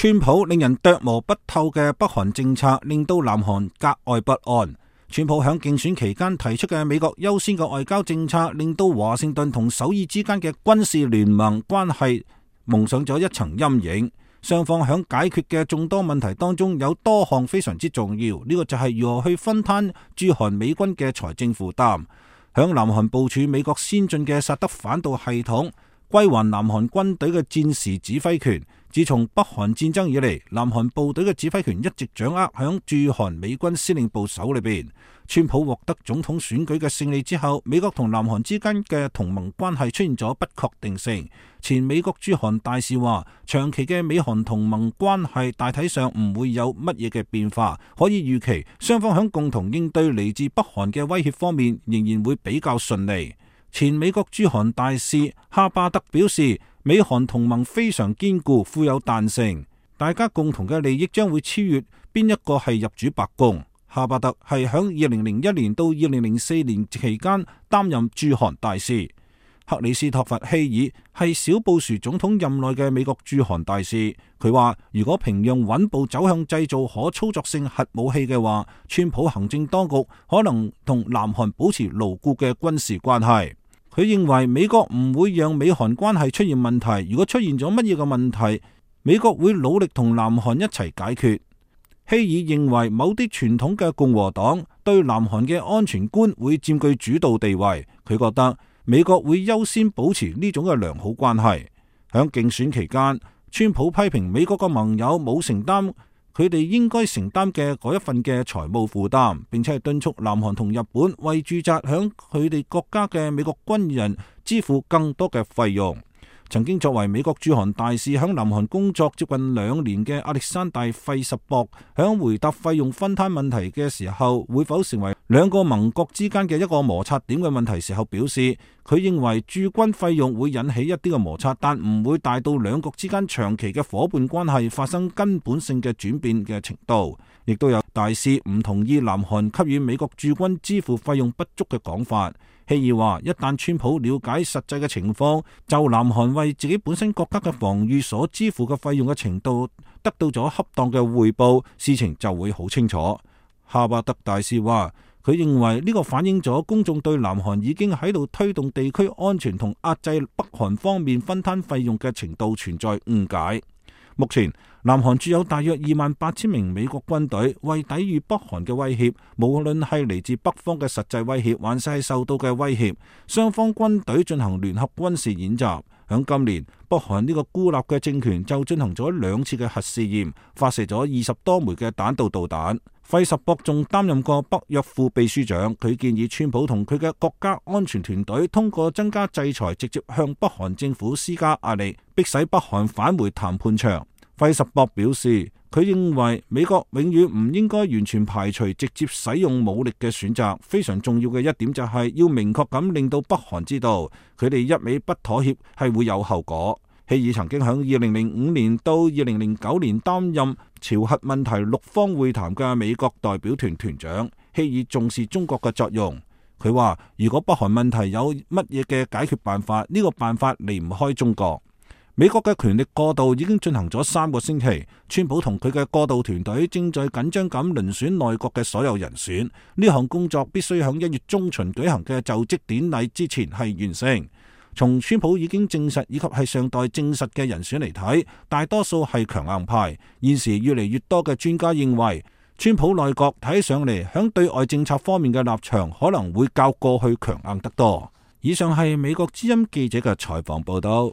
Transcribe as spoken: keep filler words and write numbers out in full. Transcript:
川普令人琢磨不透嘅北韓政策，令到南韓格外不安。川普喺競選期間提出嘅美國優先嘅外交政策，令到華盛頓同首爾之間嘅軍事聯盟關係蒙上咗一層陰影。雙方喺解決嘅眾多問題當中，有多項非常之重要。呢、這個就係如何去分攤駐韓美軍嘅財政負擔，喺南韓部署美國先進嘅薩德反導系統，歸還南韓軍隊嘅戰時指揮權。自從北韓戰爭以嚟，南韓部隊嘅指揮權一直掌握響駐韓美軍司令部手裏邊。川普獲得總統選舉嘅勝利之後，美國同南韓之間嘅同盟關係出現咗不確定性。前美國駐韓大使話，長期嘅美韓同盟關係大體上唔會有乜嘢嘅變化，可以預期雙方響共同應對嚟自北韓嘅威脅方面仍然會比較順利。前美國駐韓大使哈巴德表示，美韓同盟非常堅固，富有彈性，大家共同嘅利益將會超越邊一個係入主白宮。哈巴德係響二零零一年到二零零四年期間擔任駐韓大使。克里斯托弗希爾係小布殊總統任內嘅美國駐韓大使，佢話如果平壤穩步走向製造可操作性核武器嘅話，川普行政當局可能同南韓保持牢固嘅軍事關係。佢認為美國唔會讓美韓關係出現問題，如果出現咗乜嘢嘅問題，美國會努力同南韓一齊解決。希爾認為某啲傳統嘅共和黨對南韓嘅安全觀會佔據主導地位，佢覺得美國會優先保持呢種嘅良好關係。響競選期間，川普批評美國嘅盟友冇承擔佢哋應該承擔嘅嗰一份嘅財務負擔，並且係敦促南韓同日本為駐紮響佢哋國家嘅美國軍人支付更多嘅費用。曾經作為美國駐韓大使響南韓工作接近兩年嘅亞歷山大費什博，響回答費用分攤問題嘅時候，會否成為兩個盟國之間嘅一個摩擦點嘅問題時候表示，佢認為駐軍費用會引起一啲嘅摩擦，但唔會大到兩國之間長期嘅夥伴關係發生根本性嘅轉變嘅程度。亦都有大使唔同意南韓給予美國駐軍支付費用不足嘅講法。希爾話，一旦川普了解實際嘅情況，就南韓為自己本身國家嘅防禦所支付嘅費用嘅程度得到咗恰當嘅匯報，事情就會好清楚。哈巴德大使話，佢認為呢個反映咗公眾對南韓已經喺度推動地區安全同壓制北韓方面分攤費用嘅程度存在誤解。目前南韓駐有大約二萬八千名美國軍隊，為抵禦北韓嘅威脅，無論係嚟自北方嘅實際威脅，還是係受到嘅威脅，雙方軍隊進行聯合軍事演習。響今年，北韓呢個孤立嘅政權就進行咗兩次嘅核試驗，發射咗二十多枚嘅彈道導彈。費什博仲擔任過北約副秘書長，佢建議川普同佢嘅國家安全團隊通過增加制裁，直接向北韓政府施加壓力，迫使北韓返回談判場。費什博表示，佢認為美國永遠唔應該完全排除直接使用武力嘅選擇。非常重要嘅一點就係要明確咁令到北韓知道，佢哋一味不妥協係會有後果。希爾曾經喺二零零五年到二零零九年擔任朝核問題六方會談嘅美國代表團團長。希爾重視中國嘅作用。佢話，如果北韓問題有乜嘢嘅解決辦法，呢個辦法離唔開中國。美國嘅權力過渡已經進行咗三個星期，川普同佢嘅過渡團隊正在緊張咁遴選內閣嘅所有人選。呢項工作必須喺一月中旬舉行嘅就職典禮之前係完成。從川普已經證實以及係尚待證實嘅人選嚟睇，大多數係強硬派。現時越嚟越多嘅專家認為，川普內閣睇上嚟響對外政策方面嘅立場可能會較過去強硬得多。以上係美國之音記者嘅採訪報道。